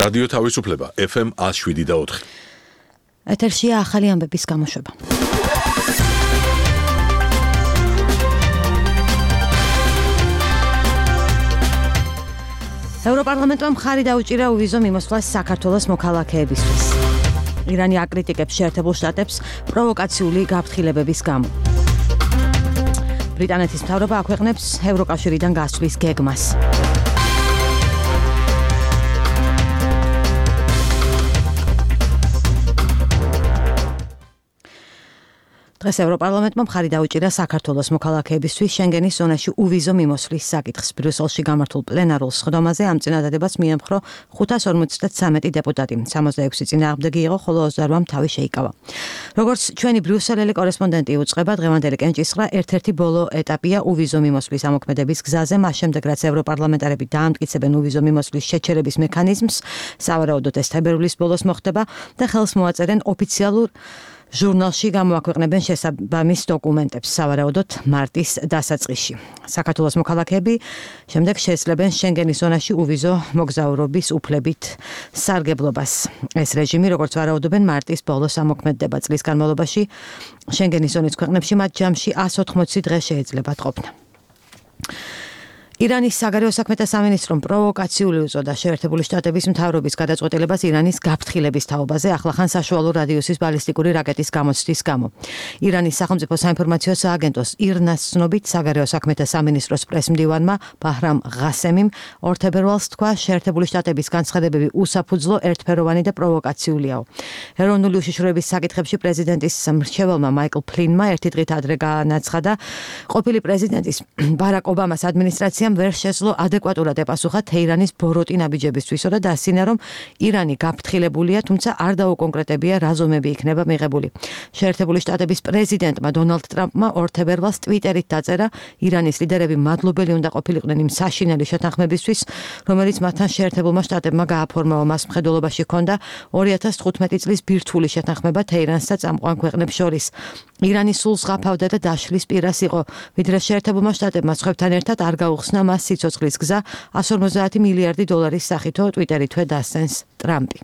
რადიო თავისუფლება FM 107.4. ეთერშია ახალი ამბების გამოშვება. ევროპარლამენტმა მხარი დაუჭირა უვიზო მიმოსვლას საქართველოს მოქალაქეებისთვის. ირანი აკრიტიკებს შეერთებულ შტატებს პროვოკაციული გაფრთხილებების გამო. ბრიტანეთის მთავრობა აქვეყნებს ევროკავშირიდან გასვლის გეგმას. დღეს ევროპარლამენტმა მხარი დაუჭირა საქართველოს მოქალაქეებისთვის შენგენის ზონაში უვიზო მიმოსვლის საკითხს. ბრიუსელში გამართულ პლენარულ სხდომაზე ამ წინადადებას მიემხრო 553 დეპუტატი. 66 წინააღმდეგი იყო, ხოლო 28-მ თავი შეიკავა. როგორც ჩვენი ბრიუსელელი კორესპონდენტი უწყება, დღევანდელი კენჭისყრა ერთ-ერთი ბოლო ეტაპია უვიზო მიმოსვლის ამოქმედების გზაზე, მას შემდეგ რაც ევროპარლამენტარები დაამტკიცებენ უვიზო მიმოსვლის შეჩერების მექანიზმს, სავარაუდოდ ეს თებერვლის ბოლოს მოხდება და ხელს მოაწერენ ოფიციალურ ჟურნალში გამოაქვეყნებენ შესაბამის დოკუმენტებს, სავარაუდოდ მარტის დასაწყისში. საქართველოს მოქალაქეები შემდეგ შეესწრებენ შენგენის ზონაში უვიზო მოგზაურობის უფლებით სარგებლობას. ეს რეჟიმი, როგორც ვარაუდობენ, მარტის ბოლოს ამოქმედდება. წლის განმავლობაში შენგენის ზონის ქვეყნებში მათ ჯამში 180 დღე შეეძლებათ ყოფნა. ირანის საგარეო საქმეთა სამინისტრომ პროვოკაციული უწოდა შეერთებული შტატების მთავრობის გადაწყვეტილებას ირანის გაფრთხილების თაობაზე ახლახან საშუალო რადიუსის ბალისტიკური რაკეტის გამოცდის გამო. ირანის სახელმწიფო საინფორმაციო სააგენტოს ირნას ცნობით საგარეო საქმეთა სამინისტროს პრესმდივანმა ბაჰრამ ღასემიმ 2 თებერვალს თქვა, შეერთებული შტატების განცხადებები უსაფუძვლო, ერთფეროვანი და პროვოკაციულიაო. ეროვნული უშიშროების საკითხებში პრეზიდენტის მრჩეველმა მაიკლ ფლინმა ერთი დღით ადრე განაცხადა, ყოფილი პრეზიდენტის ბარაკ ობამას ადმინისტრაცია ვერ შეძლო ადეკვატურად ეპასუხა თეირანის ბოროტი ნაბიჯებისთვისო და დასცინა, რომ ირანი გაფრთხილებულია, თუმცა არ დაუკონკრეტებია რა ზომები იქნება მიღებული. შეერთებული შტატების პრეზიდენტმა დონალდ ტრამპმა 2 თებერვალს ტვიტერით დაწერა, ირანის ლიდერები მადლობელი უნდა ყოფილიყვნენ იმ საშინელი შეთანხმებისთვის, რომელიც მათთან შეერთებულმა შტატებმა გააფორმა. მას მხედველობაში ჰქონდა 2015 წლის ბირთვული შეთანხმება თეირანს და წამყვან ქვეყნებს შორის. ირანი სულ ზღაფავდა და დაშლის პირას იყო, ვიდრე შეერთებულმა შტატებმა სხვებთან ერთად არ გაუხსნა მას სიცოცხლის გზა 150 მილიარდი დოლარის სახითო ტვიტერითვე დასცენს ტრამპი.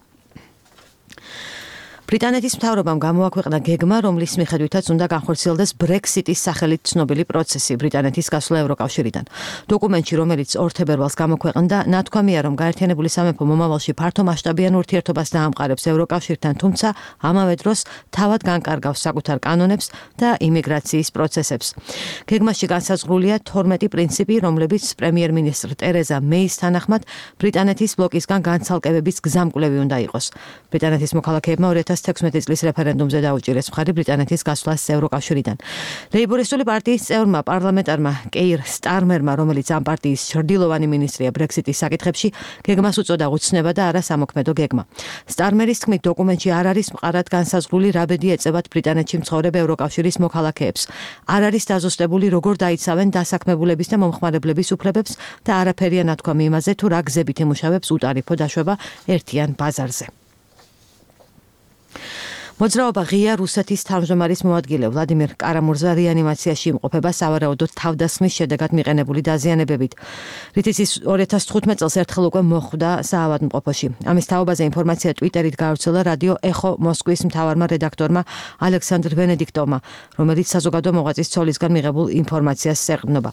ბრიტანეთის მთავრობამ გამოაქვეყნა გეგმა, რომლის მიხედვითაც უნდა განხორციელდეს ბრექსიტის სახელით ცნობილი პროცესი ბრიტანეთის გასვლა ევროკავშირიდან. დოკუმენტში, რომელიც 2 თებერვალს გამოქვეყნდა, ნათქვამია, რომ გაერთიანებული სამეფო მომავალში ფართო მასშტაბიან ურთიერთობას დაამყარებს ევროკავშირთან, თუმცა ამავე დროს თავად განკარგავს საკუთარ კანონებს და იმიგრაციის პროცესებს. გეგმაში განსაზღვრულია 12 პრინციპი, რომლებიც პრემიერ-მინისტრ ტერეზა მეის თანახმად ბრიტანეთის ბლოკისგან განცალკევების გზამკვლევი უნდა იყოს. ბრიტანეთის მოქალაქეებმა 2016 წლის რეფერენდუმზე დაუჭირეს მხარი ბრიტანეთის გასვლას ევროკავშირიდან. ლეიბორისტული პარტიის წევრმა პარლამენტარმა კეირ სტარმერმა, რომელიც ამ პარტიის ჩრდილოვანი მინისტრია ბრექსიტის საკითხებში, გეგმას უწოდა უცნება და არა სამოქმედო გეგმა. სტარმერის თქმით, დოკუმენტში არ არის მყარად განსაზღვრული რა ბედი ეწევათ ბრიტანეთში მცხოვრებ ევროკავშირის მოქალაქეებს. არ არის დაზუსტებული, როგორ დაიცავენ დასაქმებულების და მომხმარებლების უფლებებს და არაფერია ნათქვამი იმაზე, თუ რა გზებით ემუშავებს უტარიფო დაშვება ერთიან ბაზარზე. მოძრაობა ღია რუსეთის თავმჯდომარის მოადგილე ვლადიმერ კარამურზა რეანიმაციაში იმყოფება სავარაუდოდ თავდასხმის შედეგად მიყენებული დაზიანებებით. რითიც ის 2015 წელს ერთხელ უკვე მოხვდა საავადმყოფოში. ამის თაობაზე ინფორმაცია ტვიტერით გავრცელა რადიო ეხო მოსკვის მთავარმა რედაქტორმა ალექსანდრ ვენედიქტოვმა, რომელიც საზოგადო მოღვაწის ცოლისგან მიღებულ ინფორმაციას ეყრდნობა.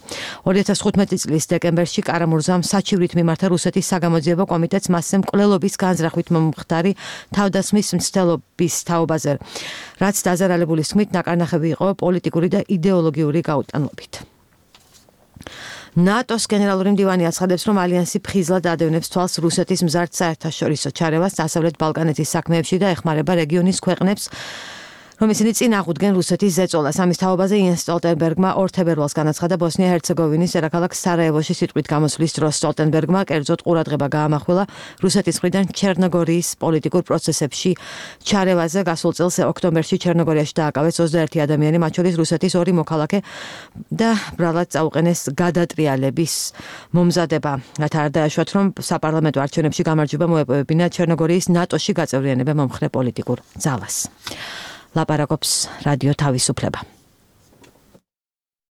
2015 წლის დეკემბერში კარამურზამ საჩივრით მიმართა რუსეთის საგამოძიებო კომიტეტს მასზე მკვლელობის განზრახვით მომხდარი თავდასხმის მცდელობის თაობა, რაც დაზარალებულის თქმით ნაკარნახები იყო პოლიტიკური და იდეოლოგიური გაუტანლობით. ნატოს გენერალური მდივანი აცხადებს, რომ ალიანსი ფხიზლად ადევნებს თვალს რუსეთის მზარდ საერთაშორისო ჩარევას დასავლეთ ბალკანეთის საქმეებში და ეხმარება რეგიონის ქვეყნებს, რომ ისინი წინ აღუდგენ რუსეთის ზეწოლას. ამის თაობაზე იენს სტოლტენბერგმა 2 თებერვალს განაცხადა ბოსნია-ჰერცეგოვინის დედაქალაქ სარაევოში სიტყვით გამოსვლის დროს. სტოლტენბერგმა კერძოდ ყურადღება გაამახვილა რუსეთის მხრიდან ჩერნოგორიის პოლიტიკურ პროცესებში ჩარევაზე. გასულ წელს ოქტომბერში ჩერნოგორიაში დააკავეს 21 ადამიანი, მათ შორის რუსეთის 2 მოქალაქე და ბრალად წაუყენეს გადატრიალების მომზადება. რათა არ დაეშვათ, რომ საპარლამენტო არჩევნებში გამარჯვება მოეპოვებინა ჩერნოგორიის ნატოში გაწევრიანება მომხრე პოლიტიკურ ძალას. ლაპარაკობს რადიო თავისუფლება.